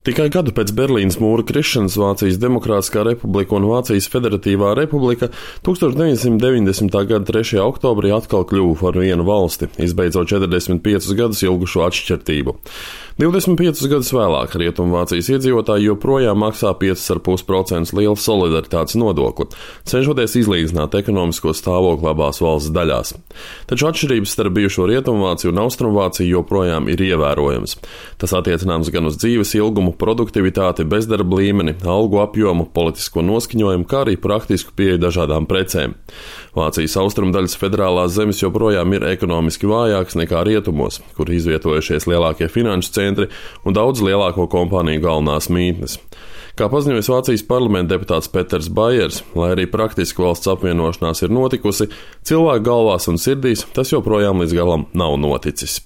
Tikai gadu pēc Berlīnes mūra krišanas Vācijas Demokrātiskā republika un Vācijas Federatīvā republika 1990. gada 3. oktobrī atkal kļuva par vienu valsti, izbeidzot 45 gadus ilgušo atšķirtību. 25 gadus vēlāk Rietumvācijas iedzīvotāji joprojām maksā 5,5% lielu solidaritātes nodokli, cenšoties izlīdzināt ekonomisko stāvokli abās valsts daļās. Taču atšķirības starp bijušo Rietumvāciju un Austrumvāciju joprojām ir ievērojamas. Tas attiecināms gan uz dzīves ilgumu, produktivitāti, bezdarba līmeni, algu apjomu, politisko noskaņojumu, kā arī praktisku pieeju dažādām precēm. Vācijas austrumdaļas federālās zemes joprojām ir ekonomiski vājākas nekā rietumos, kur izvietojušies lielākie finanšu centri un daudz lielāko kompāniju galvenās mītnes. Kā paziņoja Vācijas parlamenta deputāts Peters Baiers, lai arī praktiski valsts apvienošanās ir notikusi, cilvēku galvās un sirdīs tas joprojām līdz galam nav noticis.